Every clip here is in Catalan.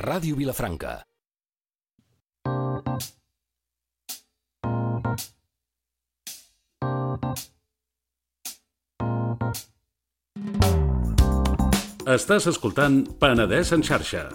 Ràdio Vilafranca. Estàs escoltant Penedès en xarxa.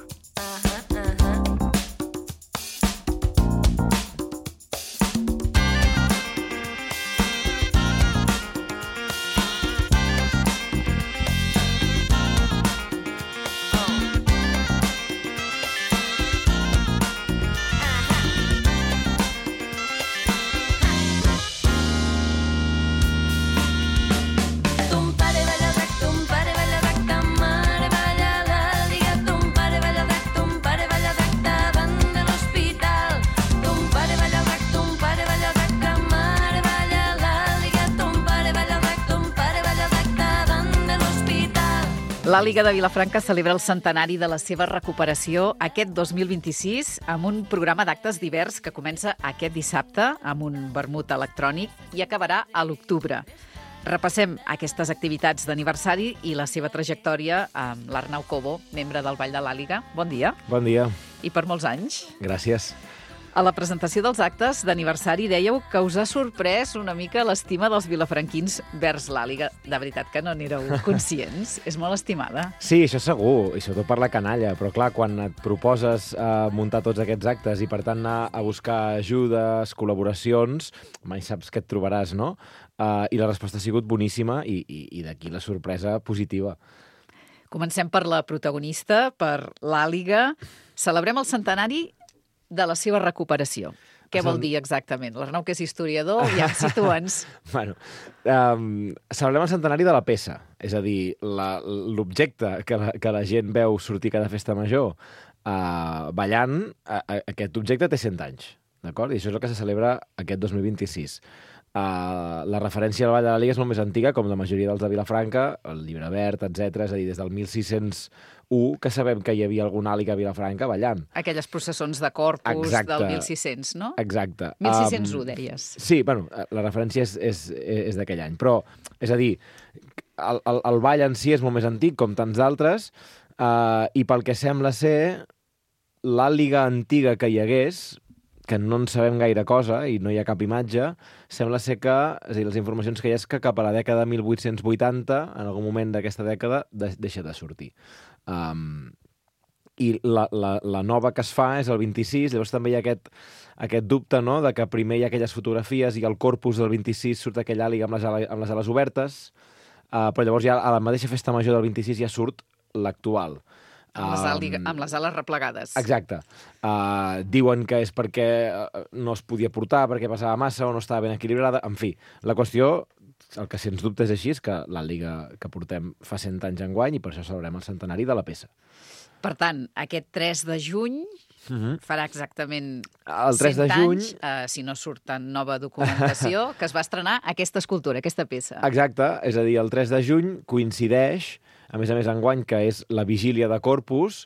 L'Àliga de Vilafranca celebra el centenari de la seva recuperació aquest 2026 amb un programa d'actes divers que comença aquest dissabte amb un vermut electrònic i acabarà a l'octubre. Repassem aquestes activitats d'aniversari i la seva trajectòria amb l'Arnau Cobo, membre del Ball de l'Àliga. Bon dia. Bon dia. I per molts anys. Gràcies. A la presentació dels actes d'aniversari dèieu que us ha sorprès una mica l'estima dels vilafranquins vers l'Àliga. De veritat que no n'éreu conscients? És molt estimada. Sí, això segur, i sobretot per la canalla. Però clar, quan et proposes muntar tots aquests actes i per tant anar a buscar ajudes, col·laboracions, mai saps què et trobaràs, no? I la resposta ha sigut boníssima i d'aquí la sorpresa positiva. Comencem per la protagonista, per l'Àliga. Celebrem el centenari de la seva recuperació. Què vol dir exactament? L'Arnau, que és historiador, ja situa'ns. Bueno, celebrem el centenari de la peça, és a dir, l'objecte que la gent veu sortir cada festa major ballant, aquest objecte té 100 anys, d'acord? I això és el que se celebra aquest 2026. La referència al Ball de l'Àliga és molt més antiga, com la majoria dels de Vilafranca, el Llibre Verd, etc. És a dir, des del 1601 que sabem que hi havia alguna àliga a Vilafranca ballant. Aquelles processons de Corpus. Exacte. Del 1600, no? Exacte. 1601, deies. Sí, bueno, la referència és d'aquell any. Però, és a dir, el ball en si és molt més antic, com tants d'altres, i pel que sembla ser, l'àliga antiga que hi hagués, que no en sabem gaire cosa i no hi ha cap imatge, sembla ser que, és a dir, les informacions que hi ha és que cap a la dècada de 1880, en algun moment d'aquesta dècada, deixa de sortir. I la nova que es fa és el 26, llavors també hi ha aquest dubte, no?, de que primer hi ha aquelles fotografies i al corpus del 26 surt aquella àliga amb les ales obertes, però llavors ja a la mateixa festa major del 26 ja surt l'actual. Amb les ales replegades. Exacte. Diuen que és perquè no es podia portar, perquè passava massa o no estava ben equilibrada. En fi, la qüestió, el que sens dubte és així, és que l'àliga que portem fa 100 anys enguany i per això celebrem el centenari de la peça. Per tant, aquest 3 de juny farà exactament el 3 100 de juny, anys, si no surt en nova documentació, que es va estrenar aquesta escultura, aquesta peça. Exacte, és a dir, el 3 de juny coincideix, a més enguany, que és la vigília de Corpus,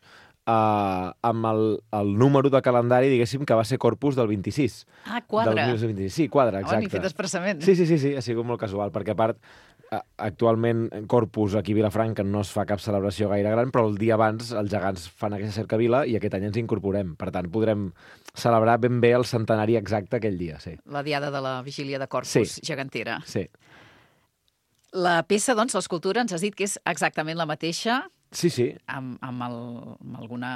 amb el número de calendari, diguéssim, que va ser Corpus del 26. Ah, quadra. Del 1926. Sí, quadra, exacte. N'hi fet expressament. Sí, ha sigut molt casual, perquè a part, actualment Corpus aquí a Vilafranca no es fa cap celebració gaire gran, però el dia abans els gegants fan aquesta cercavila i aquest any ens incorporem. Per tant, podrem celebrar ben bé el centenari exacte aquell dia, sí. La diada de la vigília de Corpus, gegantera. Sí. La peça, doncs, l'escultura, ens has dit que és exactament la mateixa. Sí. Amb alguna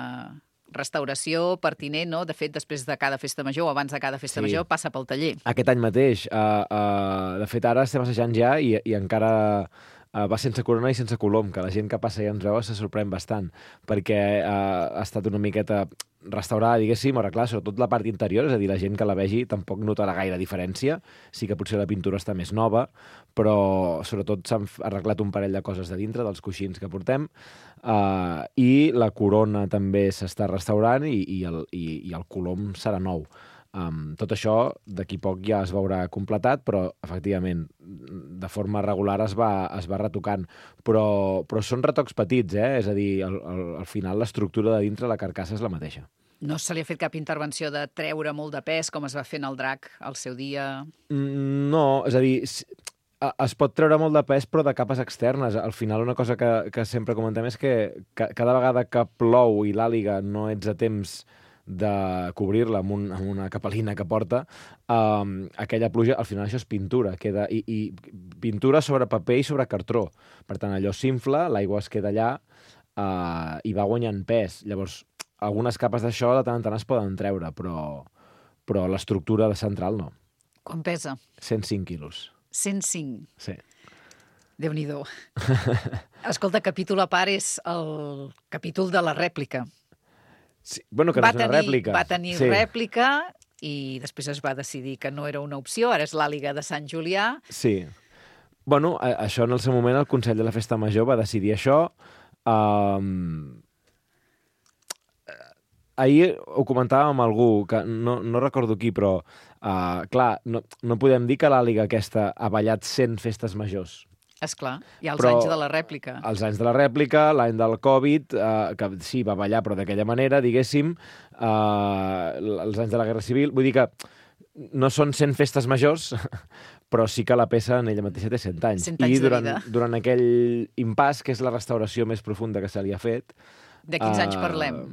restauració pertinent, no? De fet, després de cada festa major o abans de cada festa major passa pel taller. Aquest any mateix. De fet, ara estem assajant ja i encara va sense corona i sense colom, que la gent que passa i ens veu se sorprèn bastant, perquè ha estat una miqueta restaurada, diguéssim, ara clar, sobretot la part interior, és a dir, la gent que la vegi tampoc notarà gaire diferència, sí que potser la pintura està més nova, però sobretot s'han arreglat un parell de coses de dintre, dels coixins que portem, i la corona també s'està restaurant i el colom serà nou. Tot això d'aquí poc ja es veurà completat, però efectivament de forma regular es va retocant, però són retocs petits, és a dir, al final l'estructura de dintre, la carcassa és la mateixa. No se li ha fet cap intervenció de treure molt de pes, com es va fer en el drac al seu dia? No, és a dir, Es pot treure molt de pes, però de capes externes. Al final, una cosa que sempre comentem és que cada vegada que plou i l'àliga no ets a temps de cobrir-la amb una capelina que porta, aquella pluja, al final això és pintura. I pintura sobre paper i sobre cartró. Per tant, allò s'infla, l'aigua es queda allà i va guanyant pes. Llavors, algunes capes d'això de tant en tant es poden treure, però l'estructura central no. Quan pesa? 105 quilos. 105. Sí. Déu-n'hi-do. Escolta, capítol a part és el capítol de la rèplica. Sí. Bueno, que no és una rèplica. Va tenir rèplica i després es va decidir que no era una opció, ara és l'àliga de Sant Julià. Sí. Bueno, això en el seu moment el Consell de la Festa Major va decidir això. Ahir ho comentàvem amb algú, que no recordo qui, però clar, no podem dir que l'àliga aquesta ha ballat 100 festes majors. Esclar, hi ha els anys de la rèplica. Els anys de la rèplica, l'any del Covid, que sí, va ballar, però d'aquella manera, diguéssim, els anys de la Guerra Civil. Vull dir que no són 100 festes majors, però sí que la peça en ella mateixa té 100 anys. 100 anys de vida. I durant aquell impàs, que és la restauració més profunda que se li ha fet... De quins anys parlem?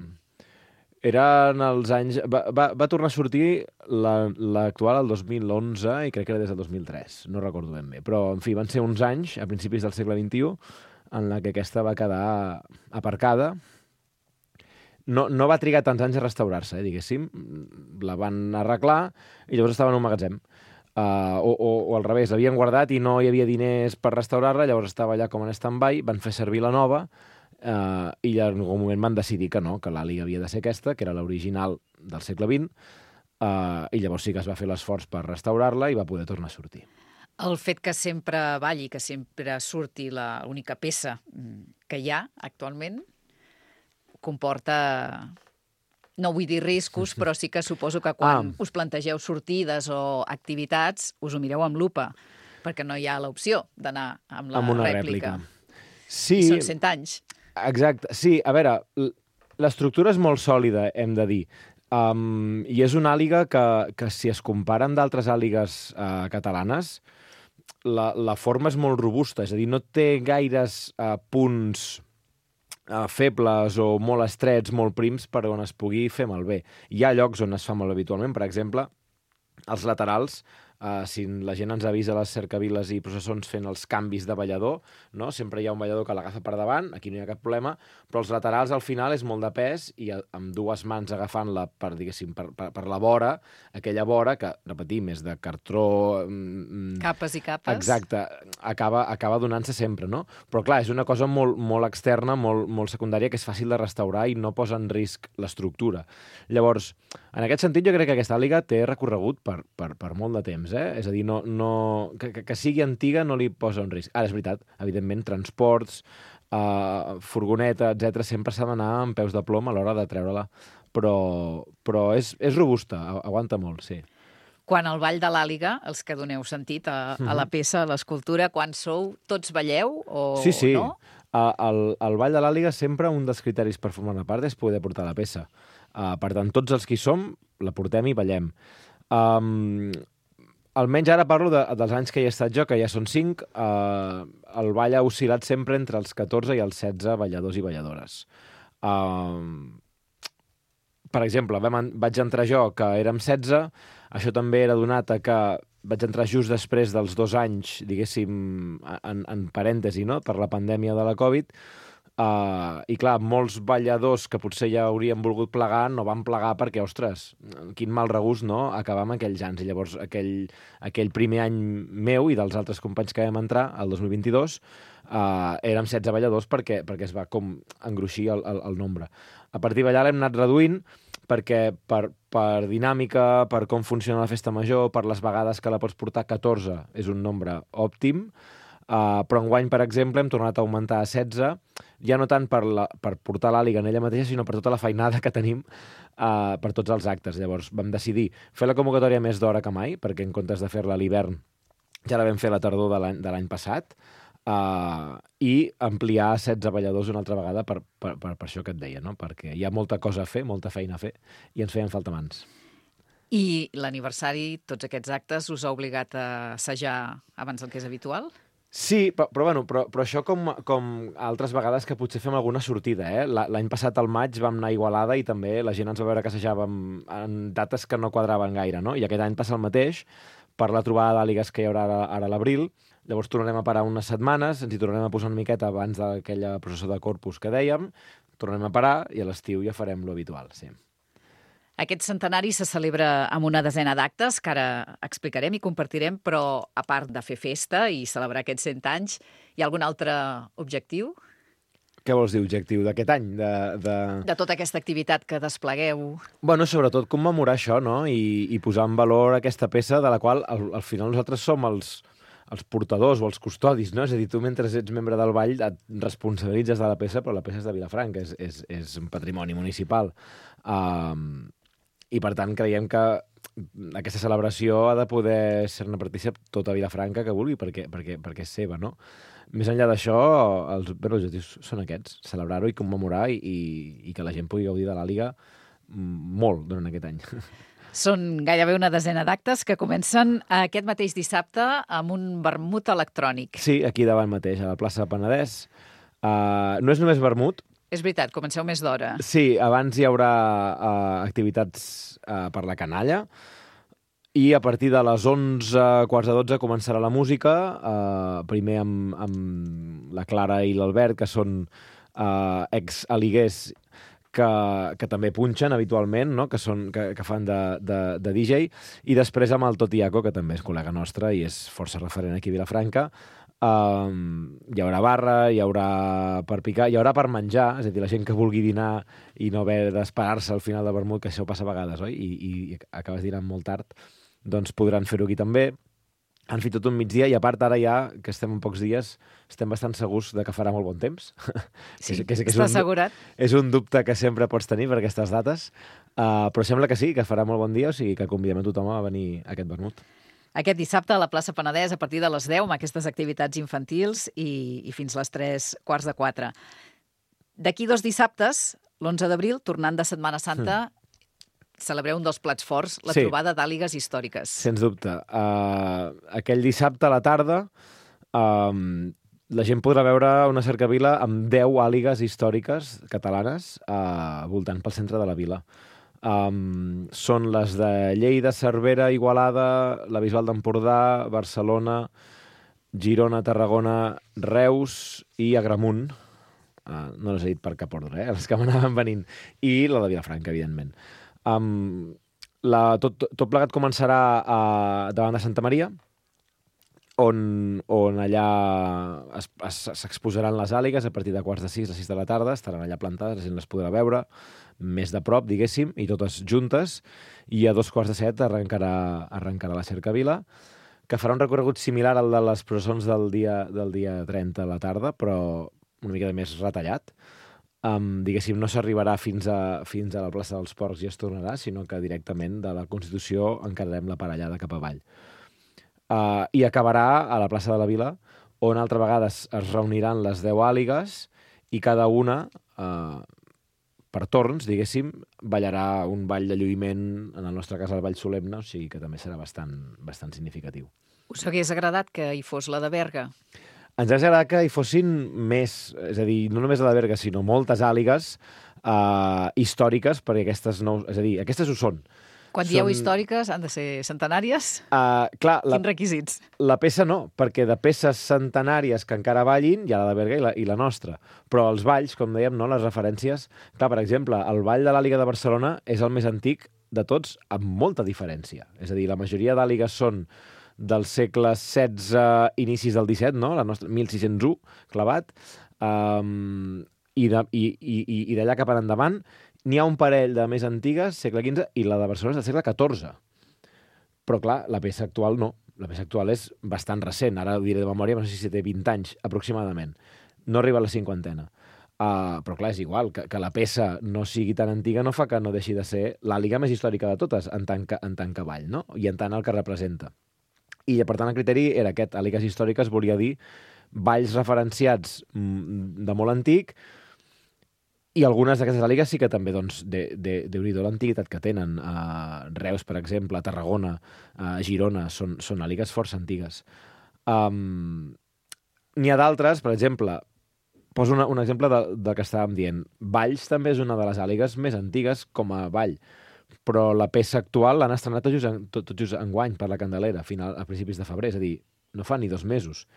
Eren els anys... Va tornar a sortir l'actual el 2011 i crec que era des del 2003. No recordo ben bé. Però, en fi, van ser uns anys, a principis del segle XXI, en la que aquesta va quedar aparcada. No va trigar tants anys a restaurar-se, diguéssim. La van arreglar i llavors estava en un magatzem. O al revés, l'havien guardat i no hi havia diners per restaurar-la, llavors estava allà com en stand-by, van fer servir la nova, i en algun moment van decidir que no, que l'àliga havia de ser aquesta, que era l'original del segle XX, i llavors sí que es va fer l'esforç per restaurar-la i va poder tornar a sortir. El fet que sempre balli, que sempre surti l'única peça que hi ha actualment, comporta, no vull dir riscos, però sí que suposo que quan us plantegeu sortides o activitats us ho mireu amb lupa, perquè no hi ha l'opció d'anar amb la rèplica. Sí. I són 100 anys. Exacte. Sí, a veure, l'estructura és molt sòlida, hem de dir. I és una àliga que si es compara amb d'altres àligues catalanes, la forma és molt robusta, és a dir, no té gaires punts febles o molt estrets, molt prims, per on es pugui fer malbé. Hi ha llocs on es fa malbé habitualment, per exemple, els laterals, si la gent ens avisa a les cercaviles i processons fent els canvis de ballador, no? Sempre hi ha un ballador que l'agafa per davant, aquí no hi ha cap problema, però els laterals al final és molt de pes i amb dues mans agafant-la per, diguéssim, per la vora, aquella vora que, repetim, és de cartró... Capes i capes. Exacte, acaba donant-se sempre, no? Però clar, és una cosa molt, molt externa, molt secundària, que és fàcil de restaurar i no posa en risc l'estructura. Llavors, en aquest sentit, jo crec que aquesta àliga té recorregut per molt de temps, És a dir, que sigui antiga no li posa un risc. Ara, és veritat, evidentment, transports, furgoneta, etc sempre s'ha d'anar amb peus de plom a l'hora de treure-la. Però és robusta, aguanta molt, sí. Quan al Ball de l'Àliga, els que doneu sentit a la peça, a l'escultura, quan sou, tots balleu o no? Sí. Al Ball de l'Àliga sempre un dels criteris per formar-ne part és poder portar la peça. Per tant, tots els que hi som la portem i ballem. Almenys ara parlo dels anys que hi he estat jo, que ja són 5, el ball ha oscil·lat sempre entre els 14 i els 16 balladors i balladores. Per exemple, vaig entrar jo, que érem 16, això també era donat a que vaig entrar just després dels 2 anys, diguéssim, en parèntesi, no?, per la pandèmia de la Covid, i clar, molts balladors que potser ja haurien volgut plegar no van plegar perquè, ostres, quin mal regust, no?, acabar amb aquells anys. I llavors aquell primer any meu i dels altres companys que vam entrar, el 2022, érem 16 balladors perquè es va com engruixir el nombre. A partir d'allà l'hem anat reduint perquè per dinàmica, per com funciona la festa major, per les vegades que la pots portar, 14 és un nombre òptim, però enguany, per exemple, hem tornat a augmentar a 16, ja no tant per portar l'àliga en ella mateixa, sinó per tota la feinada que tenim per tots els actes. Llavors vam decidir fer la convocatòria més d'hora que mai, perquè en comptes de fer-la a l'hivern ja la vam fer a la tardor de l'any passat, i ampliar a 16 balladors una altra vegada per això que et deia, no? Perquè hi ha molta cosa a fer, molta feina a fer, i ens feien falta mans. I l'aniversari, tots aquests actes, us ha obligat a assajar abans del que és habitual? Sí, però això com altres vegades que potser fem alguna sortida, eh? L'any passat al maig vam anar a Igualada i també la gent ens va veure que assajàvem en dates que no quadraven gaire, no? I aquest any passa el mateix per la trobada d'àligues que hi haurà ara a l'abril. Llavors tornarem a parar unes setmanes, ens hi tornarem a posar una miqueta abans d'aquella processó de Corpus que dèiem, tornarem a parar i a l'estiu ja farem lo habitual, sí. Aquest centenari se celebra amb una desena d'actes, que ara explicarem i compartirem, però a part de fer festa i celebrar aquests 100 anys, hi ha algun altre objectiu? Què vols dir, objectiu d'aquest any? De tota aquesta activitat que desplegueu. Bueno, sobretot commemorar això, no? I posar en valor aquesta peça de la qual al final nosaltres som els portadors o els custodis, no? És a dir, tu mentre ets membre del ball et responsabilitzes de la peça, però la peça és de Vilafranca, és un patrimoni municipal. I, per tant, creiem que aquesta celebració ha de poder ser-ne partícip tota Vilafranca que vulgui, perquè és seva, no? Més enllà d'això, els objectius són aquests, celebrar-ho i commemorar i que la gent pugui gaudir de l'Àliga molt durant aquest any. Són gairebé una desena d'actes que comencen aquest mateix dissabte amb un vermut electrònic. Sí, aquí davant mateix, a la plaça Penedès. No és només vermut. És veritat, comenceu més d'hora. Sí, abans hi haurà activitats per la canalla i a partir de les 11, quarts de 12 començarà la música, primer amb la Clara i l'Albert, que són ex-aliguers que també punxen habitualment, no? que fan de DJ, i després amb el Totiaco, que també és col·lega nostre i és força referent aquí a Vilafranca. Hi haurà barra, hi haurà per picar, hi haurà per menjar, és a dir, la gent que vulgui dinar i no haver d'esperar-se al final de vermut, que això passa a vegades, oi? I acabes dinant molt tard, doncs podran fer-ho aquí també. Han fet tot un migdia i a part ara ja, que estem en pocs dies, estem bastant segurs de que farà molt bon temps. Sí, està assegurat. És un dubte que sempre pots tenir per aquestes dates, però sembla que sí, que farà molt bon dia, o sigui que convidem a tothom a venir a aquest vermut. Aquest dissabte a la plaça Penedès a partir de les 10 amb aquestes activitats infantils i fins les 3:15. D'aquí 2 dissabtes, l'11 d'abril, tornant de Setmana Santa, celebreu un dels plats forts, la trobada d'àligues històriques. Sens dubte. Aquell dissabte a la tarda la gent podrà veure una cercavila amb 10 àligues històriques catalanes voltant pel centre de la vila. Són les de Lleida, Cervera, Igualada, la Bisbal d'Empordà, Barcelona, Girona, Tarragona, Reus i Agramunt. No les he dit per cap ordre, les que m'anaven venint. I la de Vilafranca, evidentment. Tot plegat començarà davant de Santa Maria, on allà s'exposaran les àligues a partir de 5:45, a 6 de la tarda, estaran allà plantades, la gent les podrà veure més de prop, diguéssim, i totes juntes, i a 6:45 arrencarà la cercavila, que farà un recorregut similar al de les processons del dia 30 a la tarda, però una mica més retallat. Diguéssim, no s'arribarà fins a la plaça dels Porcs i es tornarà, sinó que directament de la Constitució encararem la parellada cap avall. I acabarà a la plaça de la Vila, on altra vegada es reuniran les 10 àligues i cada una, per torns, diguéssim, ballarà un ball de lluïment, en el nostre cas el ball solemne, o sigui que també serà bastant significatiu. Us hagués agradat que hi fos la de Berga? Ens hauria agradat que hi fossin més, és a dir, no només la de Berga, sinó moltes àligues històriques, perquè aquestes ho són. Quan dieu històriques, han de ser centenàries? Quins requisits? La peça no, perquè de peces centenàries que encara ballin hi ha la de Berga i la nostra. Però els balls, com dèiem, no, les referències... Clar, per exemple, el ball de l'Àliga de Barcelona és el més antic de tots, amb molta diferència. És a dir, la majoria d'àligues són del segle XVI, inicis del XVII, no? La nostra, 1601, clavat. I d'allà cap endavant n'hi ha un parell de més antigues, segle XV, i la de Barcelona és del segle XIV. Però, clar, la peça actual no. La peça actual és bastant recent. Ara ho diré de memòria, no sé si té 20 anys, aproximadament. No arriba a la 50. Però, clar, és igual. Que la peça no sigui tan antiga no fa que no deixi de ser l'àliga més històrica de totes, en tant que ball, no? I en tant el que representa. I, per tant, el criteri era aquest. Àligues històriques volia dir balls referenciats de molt antic, I algunes d'aquestes àligues sí que també, doncs, Déu-n'hi-do l'antiguitat que tenen. Reus, per exemple, Tarragona, Girona, són àligues força antigues. N'hi ha d'altres, per exemple, poso un exemple del que estàvem dient. Valls també és una de les àligues més antigues com a vall, però la peça actual l'han estrenat tot just enguany per la Candelera, a principis de febrer, és a dir, no fa ni 2 mesos.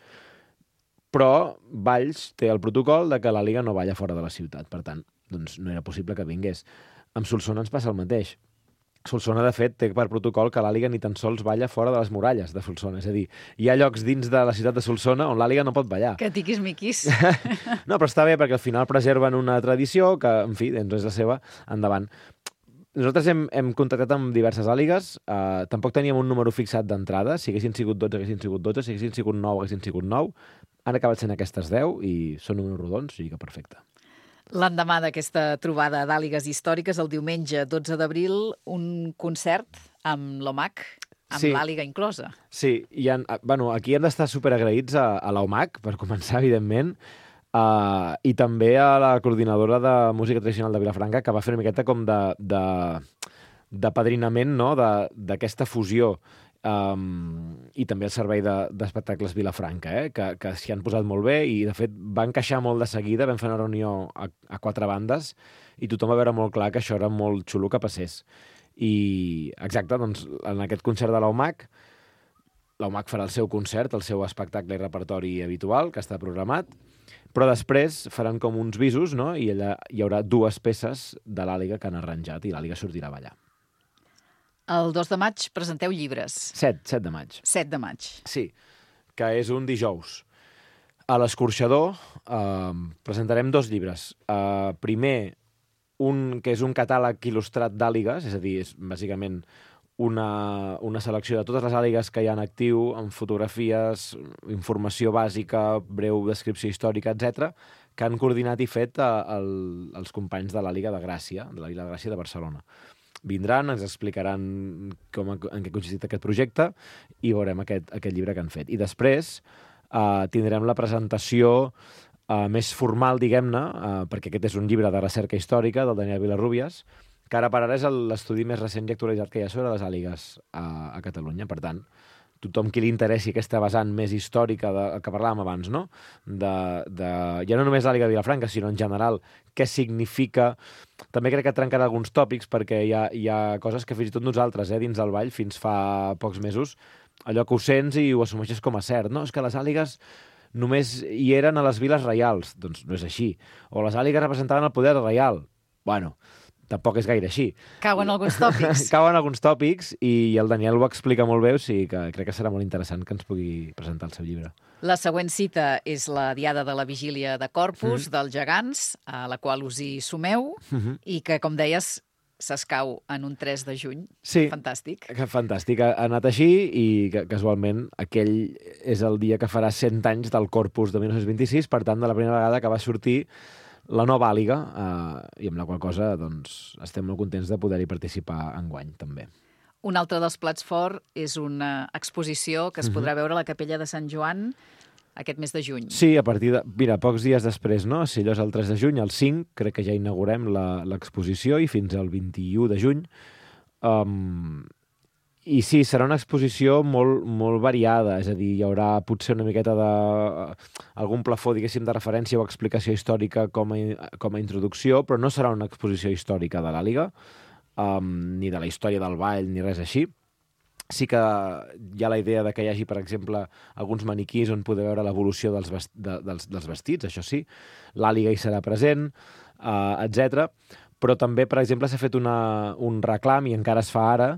Però Valls té el protocol de que l'àliga no balla fora de la ciutat, per tant, doncs no era possible que vingués. Amb Solsona ens passa el mateix. Solsona, de fet, té per protocol que l'àliga ni tan sols balla fora de les muralles de Solsona. És a dir, hi ha llocs dins de la ciutat de Solsona on l'àliga no pot ballar. Que tiquis-miquis. No, però està bé perquè al final preserven una tradició que, en fi, doncs és la seva, endavant. Nosaltres hem contactat amb diverses àligues, tampoc teníem un número fixat d'entrada, si haguessin sigut 12, haguessin sigut 12, si haguessin sigut 9, haguessin sigut 9, han acabat sent aquestes 10 i són números rodons, o sigui que perfecte. L'endemà d'aquesta trobada d'àligues històriques, el diumenge 12 d'abril, un concert amb l'OMAC, amb l'àliga inclosa. Sí, aquí hem d'estar superagraïts a l'OMAC, per començar, evidentment, i també a la coordinadora de música tradicional de Vilafranca, que va fer una miqueta com de padrinament, no?, d'aquesta fusió, i també el servei d'espectacles Vilafranca, que s'hi han posat molt bé i, de fet, va encaixar molt de seguida. Vam fer una reunió a 4 bandes i tothom va veure molt clar que això era molt xulo que passés. I, exacte, doncs, en aquest concert de l'OMAC farà el seu concert, el seu espectacle i repertori habitual, que està programat, però després faran com uns visos, no?, i allà hi haurà 2 peces de l'àliga que han arranjat i l'àliga sortirà a ballar. El 2 de maig presenteu llibres. 7 de maig. 7 de maig. Sí, que és un dijous. A l'Escorxador presentarem 2 llibres. Primer, un que és un catàleg il·lustrat d'àligues, és a dir, és bàsicament una selecció de totes les àligues que hi ha en actiu, amb fotografies, informació bàsica, breu descripció històrica, etc., que han coordinat i fet els companys de l'Àliga de Gràcia, de l'Àliga de Gràcia de Barcelona. Vindran, ens explicaran en què consistit aquest projecte i veurem aquest llibre que han fet. I després tindrem la presentació més formal, diguem-ne, perquè aquest és un llibre de recerca històrica del Daniel Vilarrubias, que ara per ara és l'estudi més recent i actualitzat que hi ha sobre les àligues a Catalunya. Per tant, tothom qui li interessi aquesta vessant més històrica que parlàvem abans, no? Ja no només l'àliga de Vilafranca, sinó en general què significa. També crec que trencarà alguns tòpics perquè hi ha coses que fins i tot nosaltres, dins del ball, fins fa pocs mesos, allò que ho sents i ho assumeixes com a cert, no? És que les àligues només hi eren a les viles reials. Doncs no és així. O les àligues representaven el poder reial. Bueno, tampoc és gaire així. Cauen alguns tòpics. Cauen alguns tòpics i el Daniel ho explica molt bé, o sigui que crec que serà molt interessant que ens pugui presentar el seu llibre. La següent cita és la Diada de la Vigília de Corpus, dels Gegants, a la qual us hi sumeu, i que, com deies, s'escau en un 3 de juny. Sí. Fantàstic. Fantàstic. Ha anat així i casualment aquell és el dia que farà 100 anys del Corpus de 1926, per tant, de la primera vegada que va sortir la nova àliga, i amb la qual cosa doncs, estem molt contents de poder-hi participar enguany, també. Un altre dels plats forts és una exposició que es podrà veure a la Capella de Sant Joan aquest mes de juny. Sí, a partir de... Mira, pocs dies després, no? Si allò és el 3 de juny, el 5, crec que ja inaugurem l'exposició i fins al 21 de juny. I sí, serà una exposició molt, molt variada, és a dir, hi haurà potser una miqueta algun plafó, diguéssim, de referència o explicació històrica com a introducció, però no serà una exposició històrica de l'àliga, ni de la història del ball, ni res així. Sí que hi ha la idea de que hi hagi, per exemple, alguns maniquís on poder veure l'evolució dels vestits, això sí, l'àliga hi serà present, etc. Però també, per exemple, s'ha fet un reclam, i encara es fa ara,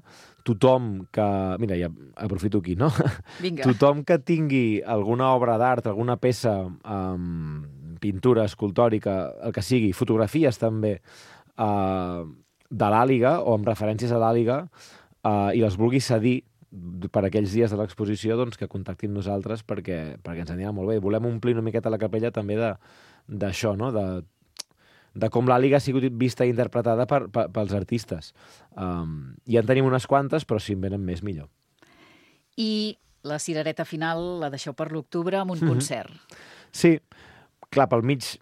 tothom que... Mira, ja aprofito aquí, no? Vinga. Tothom que tingui alguna obra d'art, alguna peça, pintura, escultòrica, el que sigui, fotografies també, de l'àliga o amb referències a l'àliga, i les vulgui cedir per aquells dies de l'exposició, doncs que contactin nosaltres perquè ens anirà molt bé. Volem omplir una miqueta la capella també d'això, no? De com l'àliga ha sigut vista i interpretada pels artistes. Ja en tenim unes quantes, però si en venen més, millor. I la cirereta final la deixeu per l'octubre amb un concert. Sí, clar, pel mig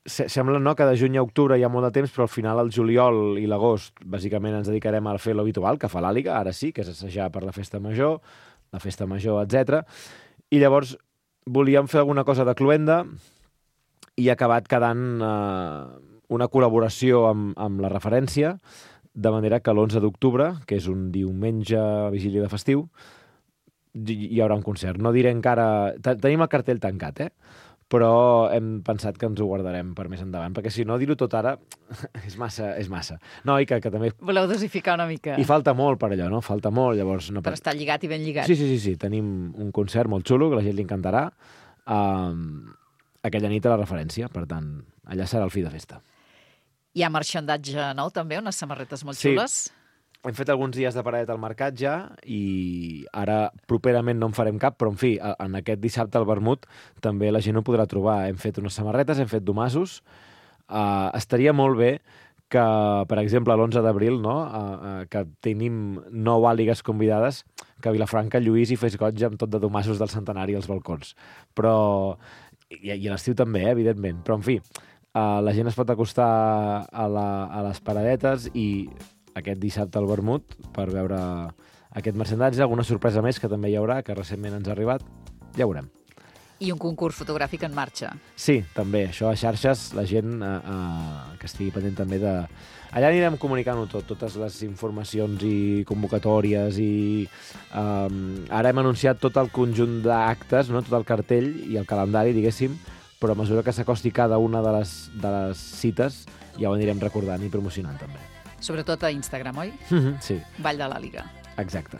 sembla no, que de juny a octubre hi ha molt de temps, però al final el juliol i l'agost bàsicament ens dedicarem a fer l'habitual que fa l'Àliga, ara sí, que és assajar per la festa major, etc. I llavors volíem fer alguna cosa de cloenda i ha acabat quedant una col·laboració amb la referència, de manera que l'11 d'octubre, que és un diumenge vigília de festiu, hi haurà un concert. No diré encara... Tenim el cartell tancat, però hem pensat que ens ho guardarem per més endavant, perquè si no, dir-ho tot ara és massa. No, i que també... Voleu dosificar una mica. I falta molt per allò, no? Falta molt, llavors... No... Per estar lligat i ben lligat. Sí. Tenim un concert molt xulo, que a la gent li encantarà, aquella nit a la referència. Per tant, allà serà el fi de festa. Hi ha marxandatge nou, també, unes samarretes molt xules. Hem fet alguns dies de paradet al mercat ja i ara properament no en farem cap, però en fi, en aquest dissabte al vermut també la gent ho podrà trobar. Hem fet unes samarretes, hem fet domassos. Estaria molt bé que, per exemple, l'11 d'abril, no? Que tenim 9 àligues convidades, que a Vilafranca Lluís hi fes goig amb tot de domassos del centenari als balcons. Però... I a l'estiu també, evidentment. Però, en fi, la gent es pot acostar a les paradetes i aquest dissabte al vermut per veure aquest merchandatge, alguna sorpresa més que també hi haurà, que recentment ens ha arribat, ja veurem. I un concurs fotogràfic en marxa. Sí, també, això a xarxes, la gent que estigui pendent també de... Allà anirem comunicant-ho tot, totes les informacions i convocatòries i ara hem anunciat tot el conjunt d'actes, no? Tot el cartell i el calendari, diguéssim, però a mesura que s'acosti cada una de les cites ja ho anirem recordant i promocionant també. Sobretot a Instagram, oi? Sí. Vall de l'Àliga. Exacte.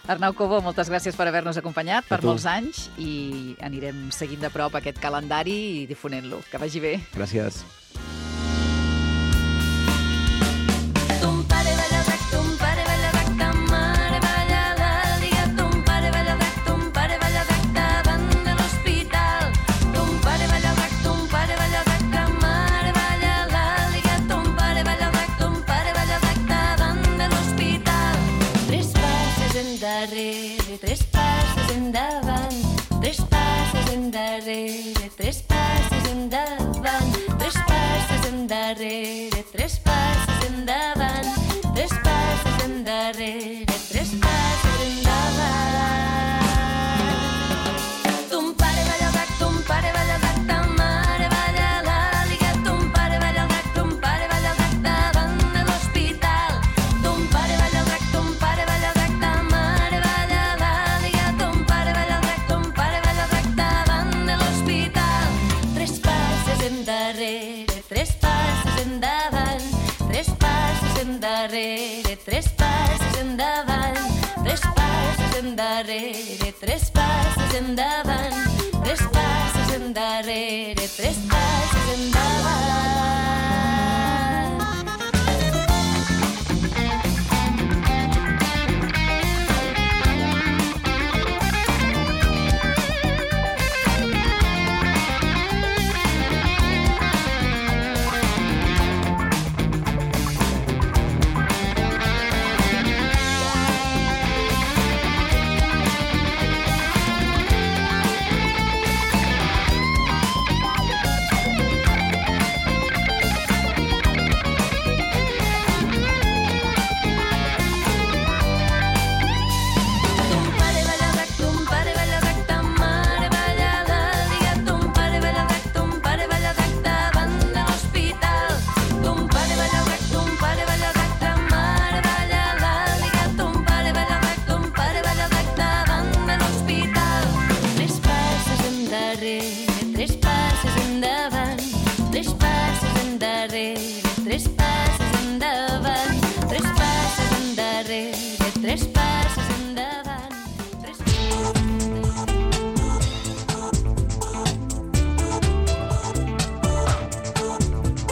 Arnau Cobo, moltes gràcies per haver-nos acompanyat per molts anys i anirem seguint de prop aquest calendari i difonent-lo. Que vagi bé. Gràcies. Tres passes endavant, tres passes endarrere, tres passes endavant, tres passes endarrere, tres passes endavant, tres passes endarrere, tres passes endavant. Ton pare balla el drac, ton pare balla el drac, ta mare balla l'àliga, ton pare balla el drac, ton pare balla el drac davant de l'hospital. Ton pare balla el drac, ton pare balla el drac, ta mare balla l'àliga, ton pare balla el drac, ton pare balla el drac davant de l'hospital. Tres passes endarrere, tres passes endavant, tres passes endarrere, tres passes endavant, tres passes endarrere, tres passes endavant, tres passes endarrere, tres passes endavant.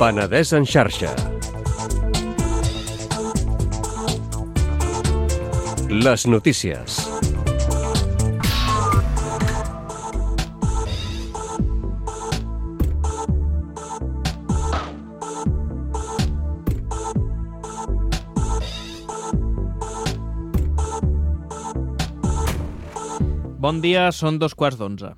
Penedès en xarxa. Les notícies. Bon dia, són 2:15.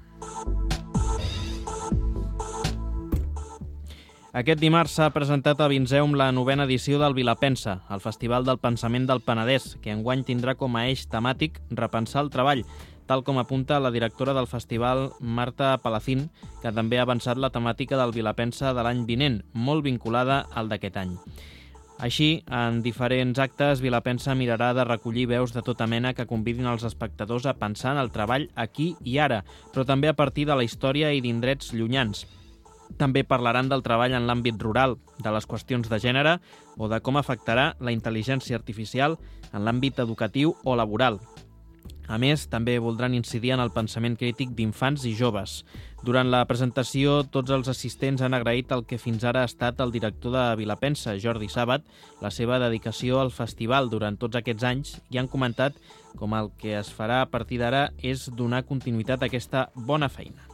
Aquest dimarts s'ha presentat a Vinseum la 9ª edició del Vilapensa, el Festival del Pensament del Penedès, que enguany tindrà com a eix temàtic repensar el treball, tal com apunta la directora del festival, Marta Palacín, que també ha avançat la temàtica del Vilapensa de l'any vinent, molt vinculada al d'aquest any. Així, en diferents actes, Vilapensa mirarà de recollir veus de tota mena que convidin els espectadors a pensar en el treball aquí i ara, però també a partir de la història i d'indrets llunyans. També parlaran del treball en l'àmbit rural, de les qüestions de gènere o de com afectarà la intel·ligència artificial en l'àmbit educatiu o laboral. A més, també voldran incidir en el pensament crític d'infants i joves. Durant la presentació, tots els assistents han agraït el que fins ara ha estat el director de Vilapensa, Jordi Sàbat, la seva dedicació al festival durant tots aquests anys i han comentat com el que es farà a partir d'ara és donar continuïtat a aquesta bona feina.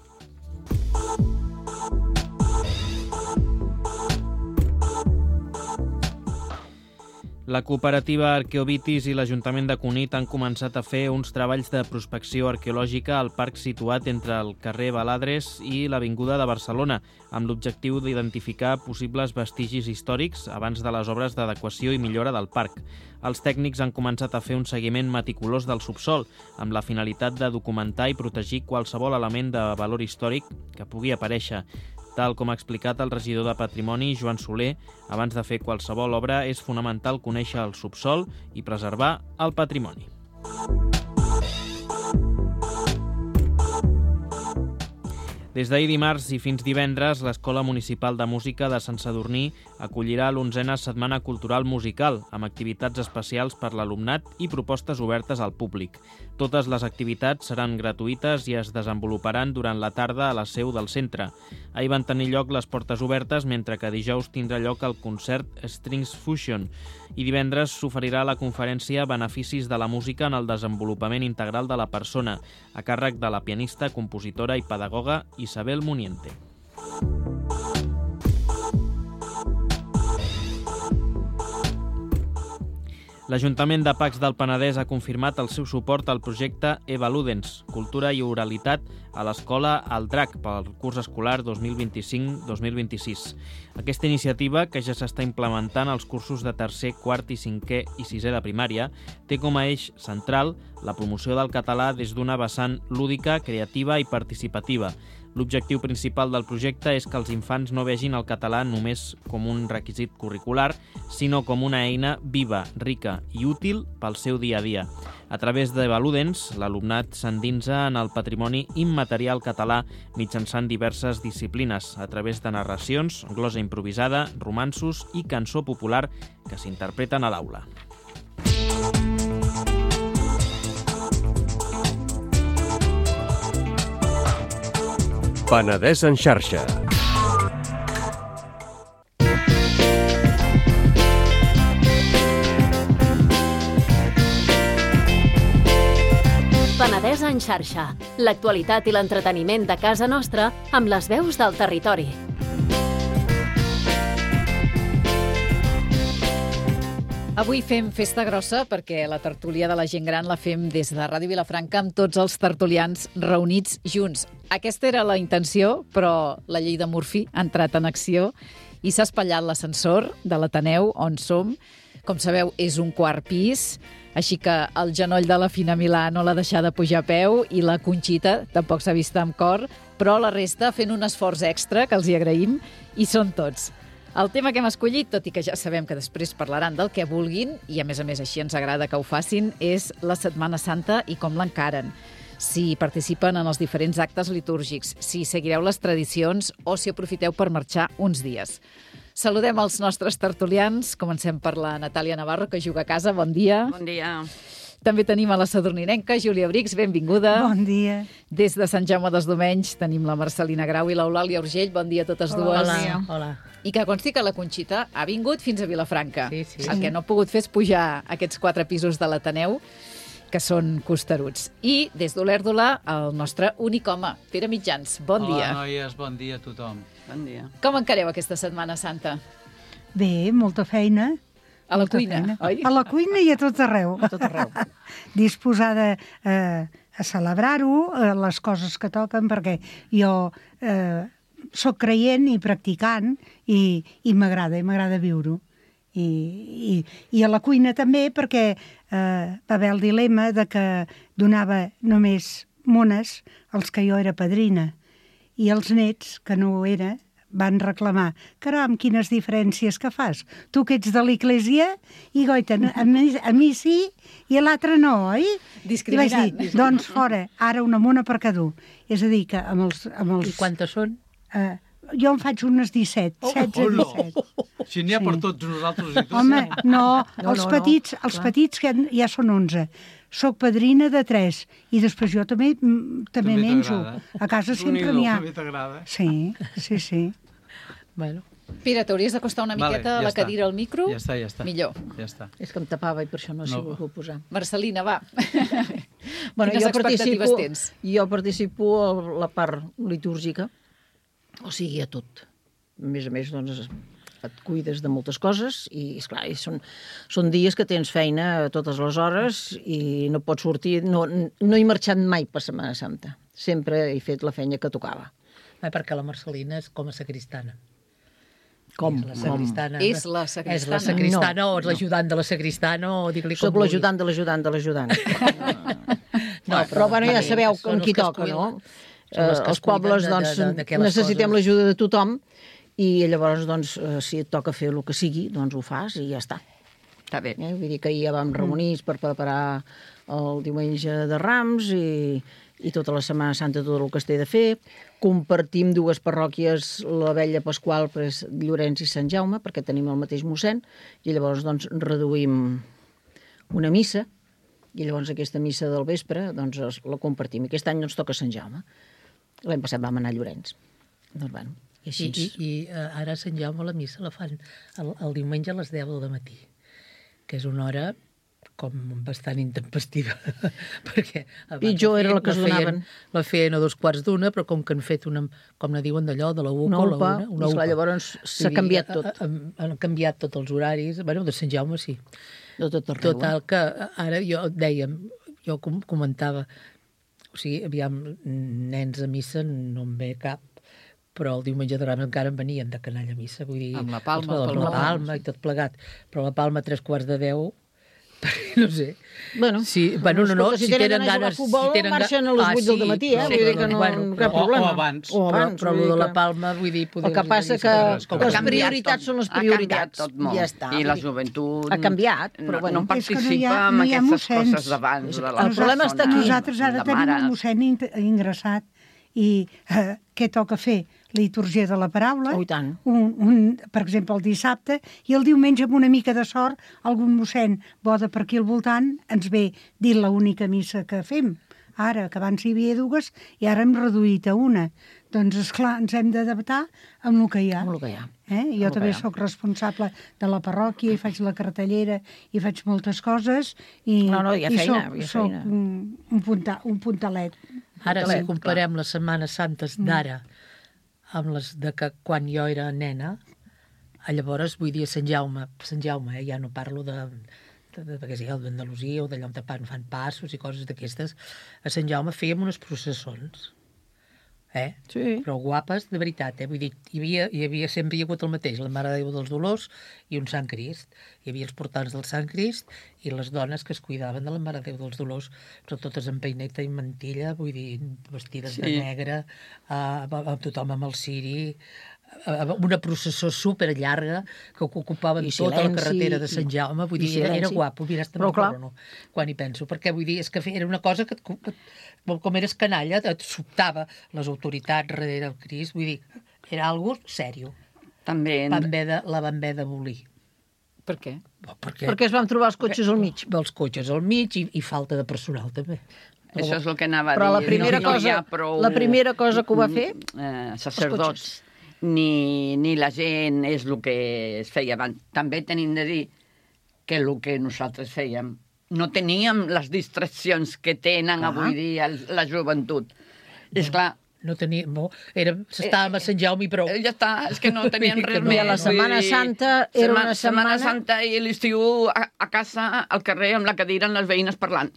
La cooperativa Arqueovitis i l'Ajuntament de Cunit han començat a fer uns treballs de prospecció arqueològica al parc situat entre el carrer Baladres i l'Avinguda de Barcelona, amb l'objectiu d'identificar possibles vestigis històrics abans de les obres d'adequació i millora del parc. Els tècnics han començat a fer un seguiment meticulós del subsol, amb la finalitat de documentar i protegir qualsevol element de valor històric que pugui aparèixer. Tal com ha explicat el regidor de Patrimoni, Joan Soler, abans de fer qualsevol obra és fonamental conèixer el subsol i preservar el patrimoni. Des d'ahir dimarts i fins divendres, l'Escola Municipal de Música de Sant Sadurní acollirà l'11a Setmana Cultural Musical, amb activitats especials per l'alumnat i propostes obertes al públic. Totes les activitats seran gratuïtes i es desenvoluparan durant la tarda a la seu del centre. Ahir van tenir lloc les portes obertes, mentre que dijous tindrà lloc el concert Strings Fusion i divendres s'oferirà la conferència Beneficis de la música en el desenvolupament integral de la persona, a càrrec de la pianista, compositora i pedagoga Isabel Muniente. L'Ajuntament de Pacs del Penedès ha confirmat el seu suport al projecte Eva Ludens, Cultura i Oralitat a l'Escola El Drac pel curs escolar 2025-2026. Aquesta iniciativa, que ja s'està implementant als cursos de tercer, quart i cinquè i sisè de primària, té com a eix central la promoció del català des d'una vessant lúdica, creativa i participativa. L'objectiu principal del projecte és que els infants no vegin el català només com un requisit curricular, sinó com una eina viva, rica i útil pel seu dia a dia. A través d'Eva Ludens, l'alumnat s'endinsa en el patrimoni immaterial català mitjançant diverses disciplines, a través de narracions, glosa improvisada, romanços i cançó popular que s'interpreten a l'aula. Penedès en xarxa. Penedès en xarxa. L'actualitat i l'entreteniment de casa nostra amb les veus del territori. Avui fem festa grossa perquè la tertúlia de la gent gran la fem des de Ràdio Vilafranca amb tots els tertulians reunits junts. Aquesta era la intenció, però la llei de Murphy ha entrat en acció i s'ha espatllat l'ascensor de l'Ateneu on som. Com sabeu, és un quart pis, així que el genoll de la Fina Milà no l'ha deixat de pujar a peu i la Conxita tampoc s'ha vist amb cor, però la resta fent un esforç extra, que els hi agraïm, i són tots. El tema que hem escollit, tot i que ja sabem que després parlaran del que vulguin, i a més així ens agrada que ho facin, és la Setmana Santa i com l'encaren. Si participen en els diferents actes litúrgics, si seguireu les tradicions o si aprofiteu per marxar uns dies. Saludem els nostres tertulians. Comencem per la Natàlia Navarro, que juga a casa. Bon dia. Bon dia. També tenim a la sadurninenca, Júlia Brix, benvinguda. Bon dia. Des de Sant Jaume dels Domenys tenim la Marcelina Grau i l'Eulàlia Urgell. Bon dia a totes dues. Hola. Hola. I que consti que la Conxita ha vingut fins a Vilafranca. Sí. El que no ha pogut fer és pujar aquests 4 pisos de l'Ateneu, que són costeruts. I des d'Olèrdola, el nostre únic home, Pere Mitjans. Bon dia. Hola, noies, bon dia a tothom. Bon dia. Com encareu aquesta Setmana Santa? Bé, molta feina. A la Molta cuina, feina. oi? A la cuina i a tot arreu. A tot arreu. Disposada a celebrar-ho, les coses que toquen, perquè jo soc creient i practicant i m'agrada viure-ho. I a la cuina també, perquè va haver el dilema de que donava només mones als que jo era padrina, i els nets, que no ho era, van reclamar: caram, quines diferències que fas. Tu que ets de l'església i goita, a mi sí i a l'altre no, oi? Discriminant. I vaig dir, doncs fora, ara una mona per cada un. És a dir, que amb els... I quantes són? Jo en faig unes 17, 16, 17. Si n'hi ha per tots nosaltres i tu. Home, no, els petits que ja són 11. Soc padrina de 3 i després jo també menjo. A casa sempre n'hi ha. També t'agrada. Sí. Bueno, Pere, t'hauries d'acostar una miqueta a la cadira al micro. Ja està. Millor. Ja està. és que em tapava i per això no s'hi ho puc posar. Marcelina, va. Bueno, Quines expectatives tens? Jo participo a la part litúrgica, o sigui, a tot. A més, doncs, et cuides de moltes coses i, esclar, són dies que tens feina a totes les hores i no pots sortir. No he marxat mai per Setmana Santa. Sempre he fet la feina que tocava. Perquè la Marcelina és com a sacristana. Com? És la sacristana. És la sacristana o és l'ajudant de la sacristana o dir-li com Soc l'ajudant de l'ajudant. No, però bueno, ja sabeu amb qui toca, no? Els pobles, doncs, necessitem l'ajuda de tothom i llavors, doncs, si et toca fer el que sigui, doncs ho fas i ja està. Està bé. Vull dir que ahir ja vam reunir per preparar el diumenge de Rams i tota la Setmana Santa tot el que es té de fer. Compartim dues parròquies, la Vella Pasqual, Llorenç i Sant Jaume, perquè tenim el mateix mossèn, i llavors doncs reduïm una missa, i llavors aquesta missa del vespre doncs la compartim. Aquest any ens toca Sant Jaume. L'any passat vam anar a Llorenç. Doncs bueno, i així. I ara a Sant Jaume la missa la fan el diumenge a les 10 del matí, que és una hora com bastant intempestiva, perquè pitjor era la que es donaven. La feien a 2:15, però com que han fet una, com ne diuen d'allò, de la UCA, una UPA. Llavors s'ha canviat tot. Han canviat tots els horaris. Bueno, de Sant Jaume sí. De tot arreu. Total, que ara jo comentava, o sigui, aviam, nens a missa no en ve cap, però el diumenge de Rams encara en venien de canalla a missa, vull dir... Amb la palma. Amb la palma i tot plegat. Però la palma a 3:15, no sé. Bueno, si tenen ganes... Futbol, marxen a les 8 del matí, vull dir que no cap problema. O abans. Però el de la palma, vull dir... El que passa que les prioritats són les prioritats. Ha canviat tot molt. Ja està. I la joventut... Ha canviat, però bueno. No participa en aquestes coses d'abans. El problema està aquí. Nosaltres ara tenim el mossèn ingressat i què toca fer? Litúrgia de la paraula, tant. Per exemple, el dissabte, i el diumenge, amb una mica de sort, algun mossèn bo de per aquí al voltant ens ve dir l'única missa que fem. Ara, que abans hi havia dues, i ara hem reduït a una. Doncs, esclar, ens hem d'adaptar amb el que hi ha. Amb el que hi ha. Jo també sóc responsable de la parròquia, i faig la cartellera, i faig moltes coses, i soc un puntalet. Ara, si comparem les Setmanes Santes d'ara amb les de que quan jo era nena, llavors, vull dir, Sant Jaume, ja no parlo perquè sigui el d'Andalusia o d'allà on fan passos i coses d'aquestes, a Sant Jaume fèiem unes processons, Sí. Però guapes, de veritat, vull dir, sempre hi ha hagut el mateix, la Mare de Déu dels Dolors i un Sant Crist. Hi havia els portants del Sant Crist i les dones que es cuidaven de la Mare de Déu dels Dolors, però totes amb peineta i mantilla, vull dir, vestides de negre, tothom amb el ciri, una processó superllarga que ocupaven tota la carretera de Sant Jaume, vull dir, era guapo, mira, quan hi penso, perquè vull dir, és que era una cosa que com eres canalla, et sobtava les autoritats darrere del Crist, vull dir, era algo sèrio. També... La van haver d'abolir. Per què? Perquè es van trobar els cotxes al mig. Els cotxes al mig i falta de personal, també. Això és el que anava a dir. Però la primera cosa que ho va fer... Sacerdots, ni la gent és el que es feia abans. També tenim de dir que el que nosaltres fèiem no teníem les distraccions que tenen avui dia la joventut. És clar... No teníem... Estàvem a Sant Jaume i prou. Ja està, és que no tenien res més. La Setmana Santa era una setmana... Setmana Santa i l'estiu a casa, al carrer, amb la cadira, amb les veïnes parlant.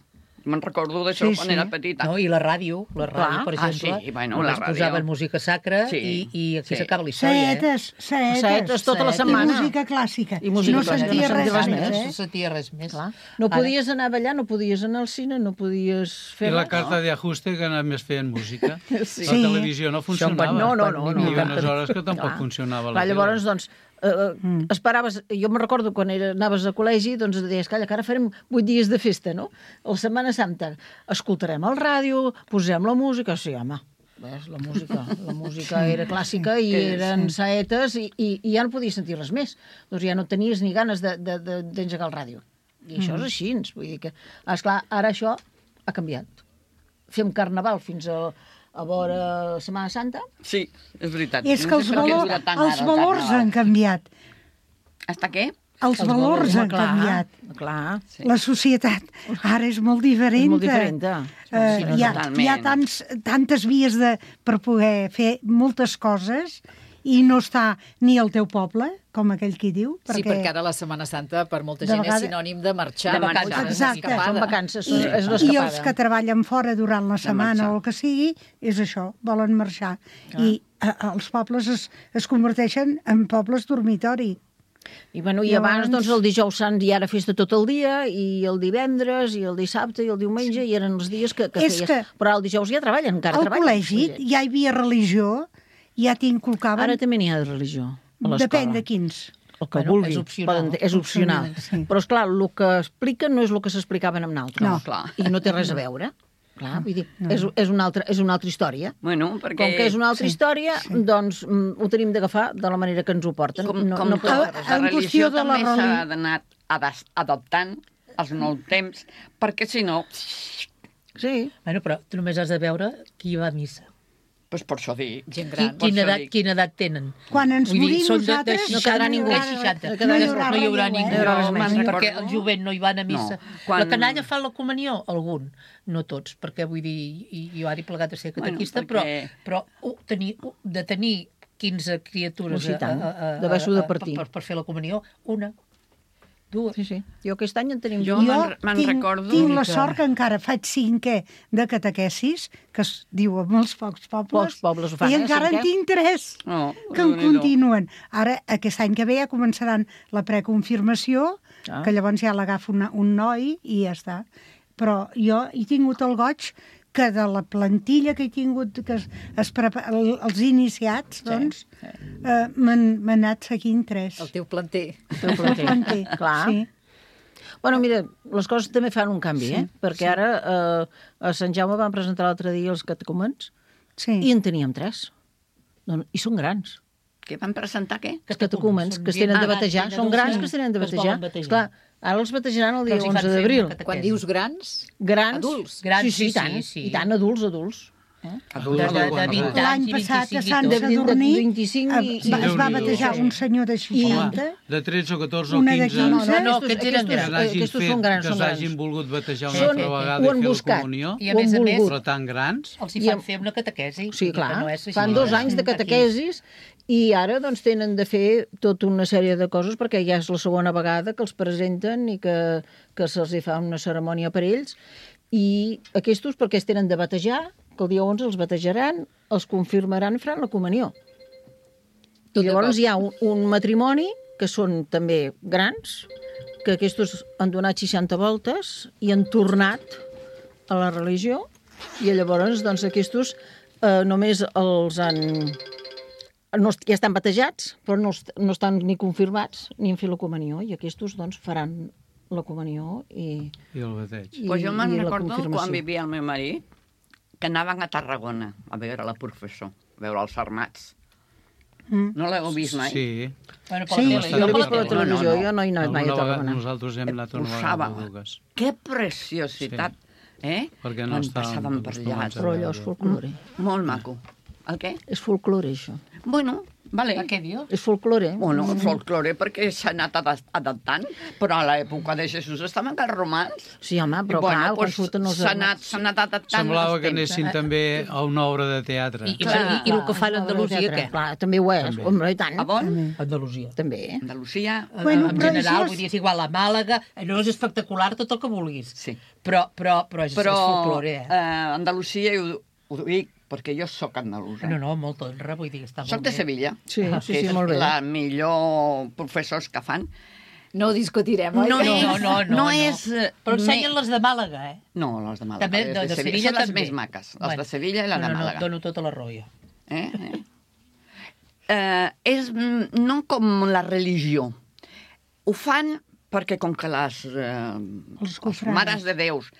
Me'n recordo d'això quan era petita. No, i la ràdio, per exemple, sí, bueno, només la ràdio. posaven música sacra i aquí s'acaba la història. Saetes tota la setmana. I música clàssica. I música no clàssica, sentia no res sentia més, No sentia res més. No podies anar a ballar, no podies anar al cine, no podies fer I la res. carta d'ajuste que només feien música. Sí. La televisió no funcionava. No. Hi havia unes hores que tampoc funcionava la tele. Llavors, doncs, esperaves... Jo me'n recordo quan anaves a col·legi, doncs deies, calla, que ara farem 8 dies de festa, no? La Setmana Santa. Escoltarem el ràdio, posem la música... Sí, home, ves, la música era clàssica i eren saetes i ja no podies sentir res més. Doncs ja no tenies ni ganes d'engegar el ràdio. I això és així, vull dir que... Esclar, ara això ha canviat. Fem carnaval fins a vora Setmana Santa. Sí, és veritat. És que els valors han canviat. Hasta què? Els valors han canviat. Clar. La societat ara és molt diferent. És molt diferent. Hi ha tantes vies per poder fer moltes coses i no està ni al teu poble, com aquell qui diu. Sí, perquè ara la Setmana Santa per molta gent és sinònim de marxar. Exacte. Són vacances, és una I escapada. els que treballen fora durant la setmana o el que sigui, és això, volen marxar. I els pobles es converteixen en pobles dormitori. I abans, doncs, el dijous sant hi era festa tot el dia, i el divendres, i el dissabte, i el diumenge, i eren els dies que feies. Però el dijous ja treballen, encara treballen. Al col·legi ja hi havia religió, ja t'inculcaven... Ara també n'hi ha de religió, a l'escola. Depèn de quins. El que vulgui. És opcional. Però, esclar, el que expliquen no és el que s'explicaven amb l'altre. No. I no té res a veure. Clar, vull dir, és una altra història. Bueno, perquè... Com que és una altra història, doncs ho tenim d'agafar de la manera que ens ho porten. La religió també s'ha d'anar adaptant als nous temps, perquè si no... Sí. Bueno, però tu només has de veure qui va a missa. Doncs per això dic. Gent gran. Quina edat tenen? Quan ens morim nosaltres... No quedarà ningú. No hi haurà ningú. Perquè el jovent no hi van a missa. La canalla fa la comunió? Algun. No tots, perquè vull dir, jo ara he plegat a ser catequista, però de tenir 15 criatures per fer la comunió, una, dues. Sí. Jo aquest any en tenim jo me'n recordo. Tinc la sort que encara faig 5è de catequesis, que es diu a molts pocs pobles, ho fan, i encara en tinc 3 que en continuen. Ara, aquest any que ve ja començaran la preconfirmació, que llavors ja l'agafa un noi i ja està. Però jo he tingut el goig que de la plantilla que he tingut, que els iniciats, doncs, m'han anat seguint 3. El teu planter. El planter, clar. Sí. Bueno, mira, les coses també fan un canvi, perquè ara a Sant Jaume van presentar l'altre dia els catecúmens i en teníem 3. I són grans. Què van presentar, què? Els catecúmens, que es tenen de batejar. Són grans que es tenen de batejar. Esclar, ara els batejaran el dia 11 d'abril. Quan dius grans? Grans. Adults. Sí, i tant, adults. L'any passat a Sant Sadurní es va batejar un senyor de 60. De 13 o 14 o 15 Aquests són grans. Que s'hagin volgut batejar una altra vegada i fer la comunió. I a més, però tan grans. Els hi fan fer una catequesi. Sí, clar. Fan 2 anys de catequesis i ara doncs tenen de fer tota una sèrie de coses perquè ja és la segona vegada que els presenten i que se'ls fa una cerimònia per ells. I aquests perquè es tenen de batejar, que el dia 11 els batejaran, els confirmaran i faran la comunió. I llavors hi ha un matrimoni, que són també grans, que aquests han donat 60 voltes i han tornat a la religió, i llavors doncs, aquests només els han... ja estan batejats, però no estan ni confirmats ni han fet la comunió, i aquests doncs, faran la comunió i el bateig. Pues jo me'n recordo quan vivia el meu marit, que anaven a Tarragona a veure la professor, a veure els armats. No l'heu vist mai? Sí. Jo l'he vist per la televisió, jo no he anat mai a Tarragona. Nosaltres hem anat una vegada a Dugues. Que preciositat, Perquè no estàvem Però allò és folklore. Molt maco. El què? És folklore, això. Bueno, Vale. Què dius? És folklore. Bueno, folklore perquè s'ha anat adaptant, però a l'època de Jesús estaven els romans. Sí, home, però clar, quan surten els... S'ha anat adaptant. Semblava que els temps. anessin també a una obra de teatre. I el que fan a Andalusia, què? Clar, també ho és, home, i tant. A bon? Andalusia. També. Andalusia. Bueno, En però general, això vull dir, és igual a Màlaga, no és espectacular tot el que vulguis. Sí. Però és folklore, Andalusia, ho dic, perquè jo sóc andalusa. No, molt honra, vull dir que està molt bé. Soc de Sevilla. Sí, que és molt bé. la millor professors que fan. No ho discutirem, oi? No és... Però ensenyen les de Màlaga, eh? No, les de Màlaga. També, les de Sevilla són les també. més maques. Les de Sevilla i la de Màlaga. Dono tota la raó, jo. És no com la religió. Ho fan perquè com que les mares de Déus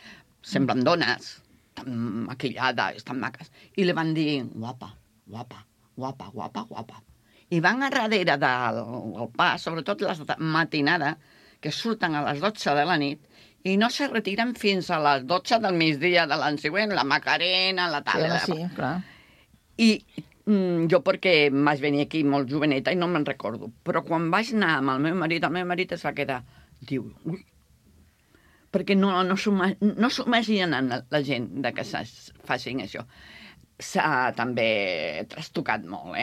semblen dones, tan maquillades, tan maques, i li van dir guapa, guapa, guapa, guapa, guapa. I van a darrere del pas, sobretot les de matinada, que surten a les 12 de la nit, i no se retiren fins a les 12 del migdia de l'any següent, la Macarena, la tal... Sí, clar. I jo perquè vaig venir aquí molt joveneta i no me'n recordo, però quan vaig anar amb el meu marit es va quedar, diu, ui, perquè no s'ho imaginen la gent de que facin això. S'ha també trastocat molt,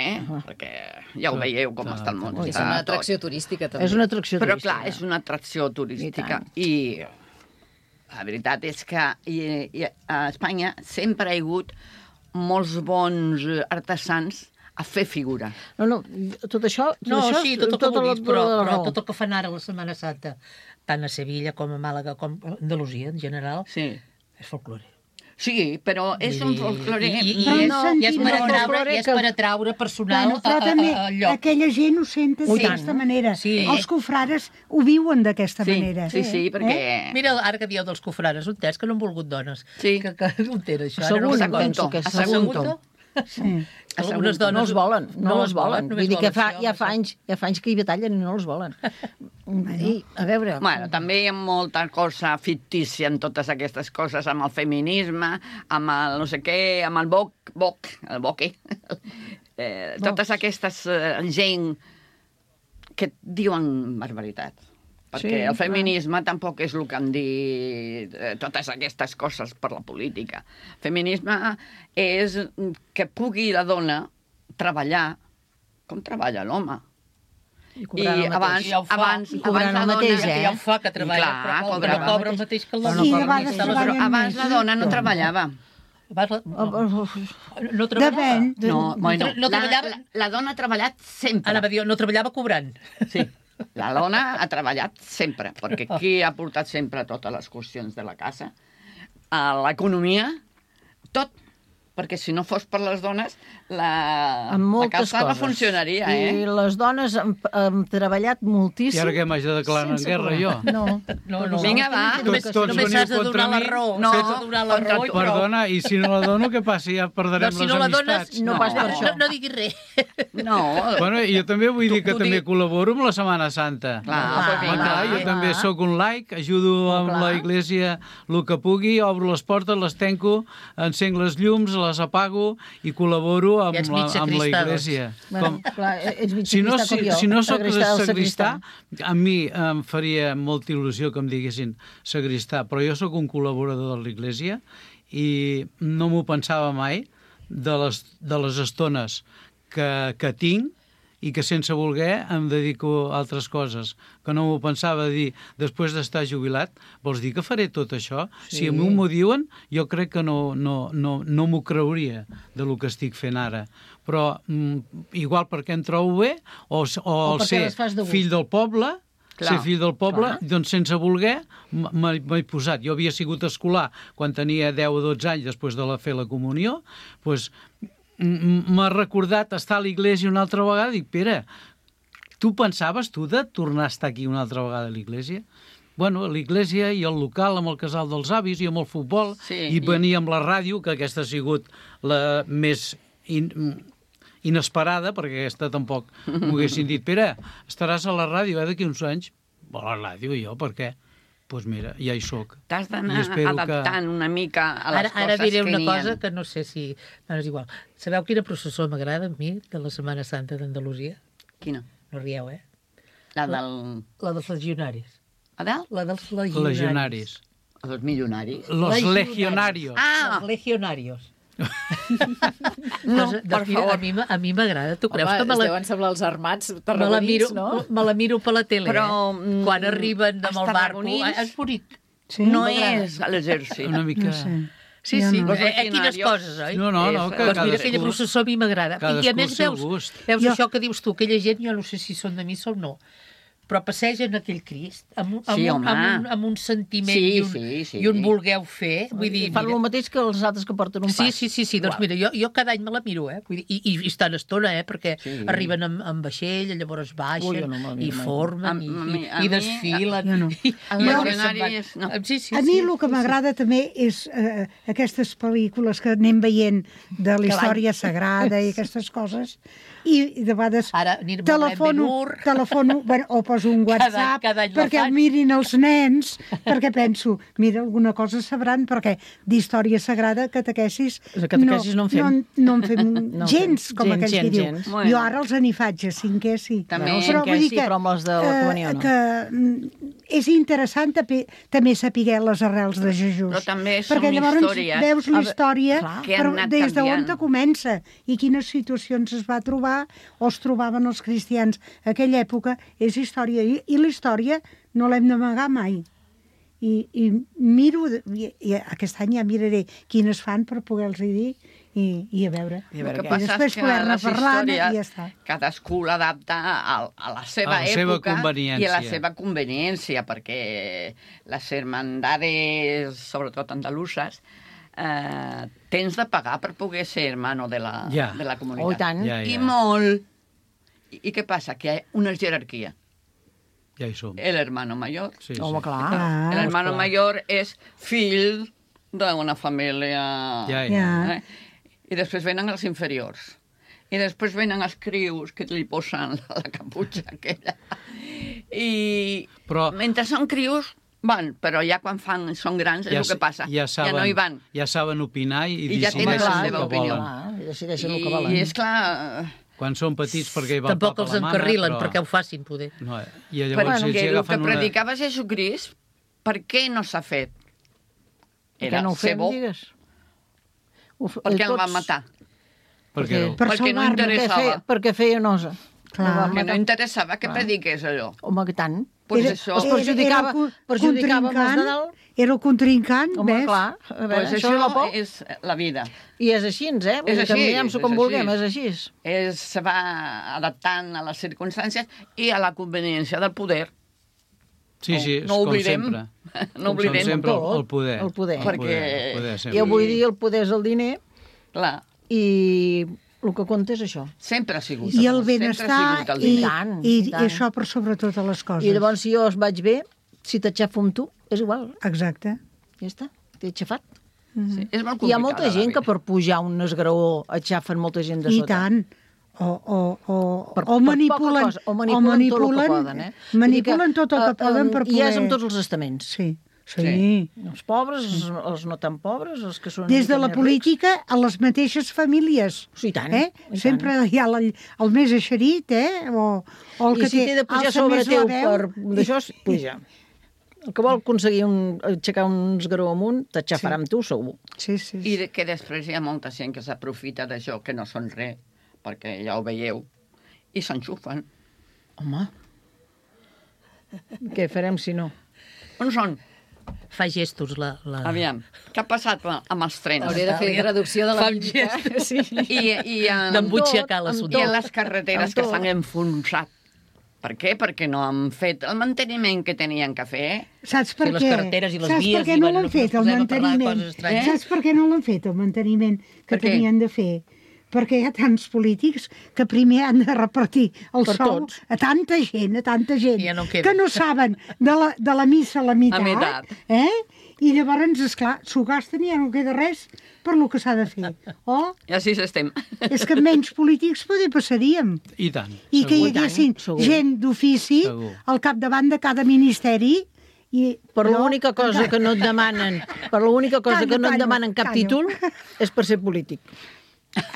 perquè ja ho veieu com està el món. És una atracció turística, també. És una atracció Però turística. clar, és una atracció turística i la veritat és que a Espanya sempre hi ha hagut molts bons artesans a fer figura. No, tot això... Sí, tot el que vulguis, però tot el que fan ara la Setmana Santa, tant a Sevilla com a Màlaga com a Andalusia, en general, és folklore. Sí, però és un folklore... I és per atraure personal però també al lloc. aquella gent ho senten d'aquesta manera. Els cofrares ho viuen d'aquesta manera. Sí, perquè... Mira, ara que dieu dels cofrares, un test que no han volgut dones. Sí. Que un té això. Penso que és Sagunto. Unes dones... No els volen, no els volen. Vull dir que ja fa anys que hi batallen i no els volen. I, a veure... Bueno, també hi ha molta cosa fictícia en totes aquestes coses, amb el feminisme, amb el no sé què, amb el boque. Totes aquestes gent que diuen barbaritat. Perquè el feminisme tampoc és el que han dit totes aquestes coses per la política. Feminisme és que pugui la dona treballar com treballa l'home. I abans la dona... Ja ho fa, que treballa, però cobra el mateix que l'home. Però abans la dona no treballava. No treballava. La dona ha treballat sempre. Anava a dir, no treballava cobrant. Sí. La dona ha treballat sempre, perquè qui ha portat sempre totes les qüestions de la casa? L'economia, tot. Perquè si no fos per les dones, la casa no funcionaria. I les dones han treballat moltíssim. I ara què m'haig de declarar en guerra, jo? No. Vinga, va. Només has de donar la raó. Perdona, i si no la dono, què passa? Ja perdrem les amistats. No pas per això. No diguis res. No. Bueno, jo també vull dir que també col·laboro amb la Setmana Santa. Clar, jo també sóc un laic, ajudo amb la Iglésia el que pugui, obro les portes, les tanco, encenc les llums, les apago i col·laboro amb la Iglésia. Si no soc sagristà, a mi em faria molta il·lusió que em diguessin sagristà, però jo sóc un col·laborador de l'Iglésia i no m'ho pensava mai de les estones que tinc i que sense voler em dedico a altres coses, que no m'ho pensava dir després d'estar jubilat. Vols dir que faré tot això? Si a mi m'ho diuen, jo crec que no m'ho creuria del que estic fent ara. Però igual perquè em trobo bé, o el ser fill del poble, doncs sense voler m'he posat. Jo havia sigut escolar quan tenia 10 o 12 anys després de fer la comunió, doncs m'ha recordat estar a l'Iglésia una altra vegada i dic, Pere, tu pensaves de tornar a estar aquí una altra vegada a l'Iglésia? Bueno, a l'Iglésia i al local amb el casal dels avis i amb el futbol i venir amb la ràdio, que aquesta ha sigut la més inesperada, perquè aquesta tampoc m'ho haguessin dit, Pere, estaràs a la ràdio d'aquí uns anys? A la ràdio, jo, per què? Doncs mira, ja hi soc. T'has d'anar adaptant una mica a les coses que n'hi ha. Ara diré una cosa que no sé si... No, és igual. Sabeu quina processó m'agrada a mi de la Setmana Santa d'Andalusia? Quina? No rieu, eh? La dels legionaris. A dalt? La dels legionaris. Legionaris. Los millonaris. Los legionarios. Ah! Los legionarios. No, per favor. A mi m'agrada. Tu creus que es deuen semblar els armats tarragonins, no? Me la miro per la tele, però, quan arriben amb el barco. És bonic. Sí? No és a l'exèrcit. Una mica... No sé. Sí, quines coses, oi? No, que doncs mira, aquella processó a mi m'agrada. I a més veus això que dius tu, aquella gent, jo no sé si són de missa o no, però passegen aquell Crist amb un sentiment i un volgueu fer. Vull dir, fan el mateix que els altres que porten un pas. Sí. Doncs mira, jo cada any me la miro, i estan estona, perquè arriben amb vaixell, llavors baixen i formen i desfilen. A mi el que m'agrada també és aquestes pel·lícules que anem veient de la història sagrada i aquestes coses, i de vegades telefono o poso un WhatsApp perquè el mirin els nens, perquè penso, mira, alguna cosa sabran, perquè d'història sagrada, catequesis no en fem gens, com aquells que diu. Jo ara els en hi faig a 5è, sí. Però amb els de la comunió, no? Que és interessant també saber les arrels de Jesús. Però també són perquè llavors històries. Veus la història des d'on comença i quines situacions es va trobar o es trobaven els cristians. Aquella època és història, i la història no l'hem d'amagar mai. I miro, i aquest any ja miraré quines fan per poder-los dir i a veure. El que passa és que les històries cadascú l'adapta a la seva època i a la seva conveniència, perquè les hermandades, sobretot andaluses, tens de pagar per poder ser hermano de la comunitat. Oh, tant. I molt. I què passa? Que hi ha una jerarquia. Ja hi som. El hermano mayor. Home, clar. El hermano mayor és fill d'una família... I després venen els inferiors. I després venen els crius que li posen la caputxa aquella. Però mentre són crius, van, però ja quan són grans és el que passa. Ja no hi van. Ja saben opinar i decideixen la seva opinió. I decideixen el que volen. I és clar... Quan són petits perquè hi va tampoc els encarrilen perquè ho facin, poder. I llavors perquè el que predicava Jesucrist, per què no s'ha fet? Era ser bo. Perquè el van matar. Perquè no interessava. Perquè feia nosa. Perquè no interessava que prediqués allò. Home, que tant. Es perjudicava més de dalt. Era el contrincant, ves? Clar, això és la vida. I és així, És així. Canviem-s'ho com vulguem, és així. Se va adaptant a les circumstàncies i a la conveniència del poder. Sí, no oblidem. No oblidem sempre el poder. El poder. Perquè... Jo vull dir, el poder és el diner. Clar. I el que compta és això. Sempre ha sigut. I el benestar, i això per sobre totes les coses. I llavors, si jo es vaig bé, si t'aixafo amb tu, és igual. Exacte. Ja està, t'he aixafat. Sí, és molt complicat. Hi ha molta gent que per pujar un esgraó aixafen molta gent de sota. I tant. O manipulen tot el que poden. Manipulen tot el que poden per poder... I és amb tots els estaments. Sí. Els pobres, els no tan pobres, els que són... Des de la política a les mateixes famílies. Sí, tant. Sempre hi ha el més eixerit, o el que té de pujar sobre teu per... D'això, puja. El que vol aconseguir aixecar un esgaró amunt, t'aixafarà amb tu, segur. Sí. I que després hi ha molta gent que s'aprofita d'això, que no són res, perquè ja ho veieu, i s'enxufen. Home, què farem si no? On són? Fa gestos la... Aviam, què ha passat amb els trens? Hauria de fer traducció de la mímica. D'embutxacar l'assumpte. I a les carreteres que s'han enfonsat. Per què? Perquè no han fet el manteniment que tenien que fer. Saps per què? Les carreteres i les vies... Saps per què no l'han fet, el manteniment? Saps per què no l'han fet, el manteniment que tenien de fer? Perquè hi ha tants polítics que primer han de repartir el sou a tanta gent, que no saben de la missa a la meitat. I llavors, esclar, s'ho gasten i ja no queda res per lo que s'ha de fer. I així estem. És que menys polítics poder passaríem. I tant. I que hi haguessin gent d'ofici al capdavant de cada ministeri Per l'única cosa que no et demanen, cap títol és per ser polític.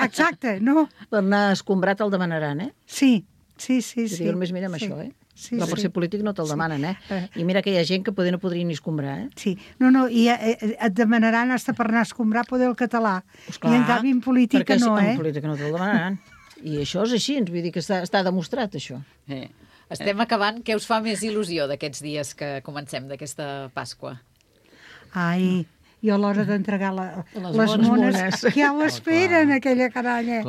Exacte, no? Per anar escombrat el demanaran, eh? Sí. Només mirem això, eh? Però per ser polític no te'l demanen, eh? I mira que hi ha gent que poder no podria ni escombrar, eh? Sí, no, i et demanaran hasta per anar a escombrar poder el català. I en canvi en política no, eh? En política no te'l demanaran. I això és així, ens vull dir que està demostrat, això. Estem acabant. Què us fa més il·lusió d'aquests dies que comencem, d'aquesta Pasqua? Ai, jo a l'hora d'entregar les mones, que ja ho esperen, aquella canalla.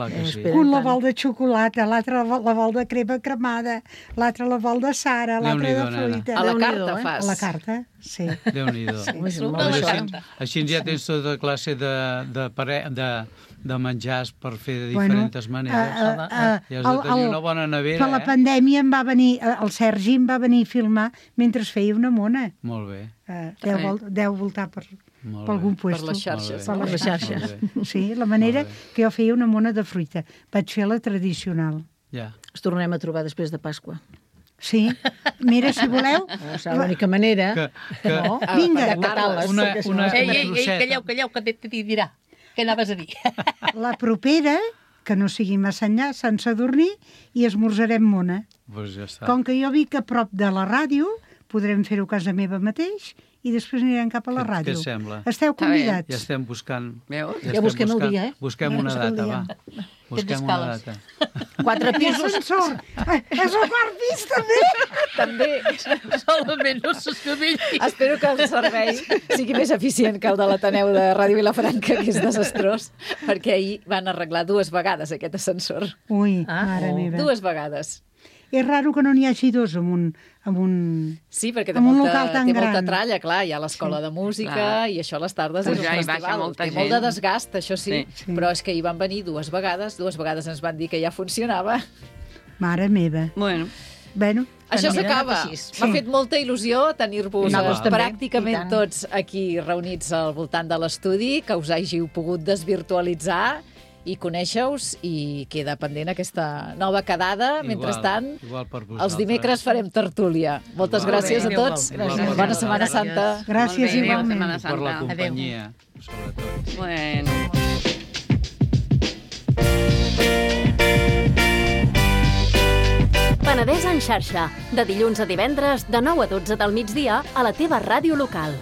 Un la vol de xocolata, l'altre la vol de crema cremada, l'altre la vol de Sara, l'altre de fruita. A la carta fas? A la carta, sí. Déu-n'hi-do. Així ja tens tota classe de menjars per fer de diferents maneres. Ja has de tenir una bona nevera, Per la pandèmia el Sergi em va venir a filmar mentre feia una mona. Molt bé. Deu voltar per algun puesto. Per les xarxes. Per les xarxes. Sí, la manera que jo feia una mona de fruita. Vaig fer la tradicional. Ja. Ens tornem a trobar després de Pasqua. Sí, mira, si voleu... És l'única manera. Vinga. Calleu, que t'hi dirà. Què anaves a dir? La propera, que no sigui massa enllà, sense dormir, i esmorzarem mona. Pues ja està. Com que jo vic a prop de la ràdio, podrem fer-ho a casa meva mateix i després anirem cap a la ràdio. Què sembla? Esteu convidats. Ja estem buscant... Ja busquem el dia, eh? Busquem una data, va. Busquem una data. 4 pisos. És el quart pis, també. També. Solament no s'escavelli. Espero que el servei sigui més eficient que el de l'Ateneu de Ràdio Vilafranca, que és desastrós, perquè ahir van arreglar 2 vegades aquest ascensor. Ui, mare meva. 2 vegades. És raro que no n'hi hagi 2 amb un Sí, perquè té local tan gran. molta tralla, clar, hi ha l'escola de música i això a les tardes és un festival. Té molt de desgast, això sí, però és que hi van venir 2 vegades ens van dir que ja funcionava. Mare meva. Bueno. Això s'acaba. M'ha fet molta il·lusió tenir-vos pràcticament tots aquí reunits al voltant de l'estudi, que us hàgiu pogut desvirtualitzar i conèixer-us, i queda pendent aquesta nova quedada. Mentrestant, els dimecres farem tertúlia. Moltes gràcies a tots. Bona Setmana Santa. Gràcies igualment. Per la companyia, sobretot. Bueno. Penedès en xarxa, de dilluns a divendres, de 9 a 12 del migdia, a la teva ràdio local.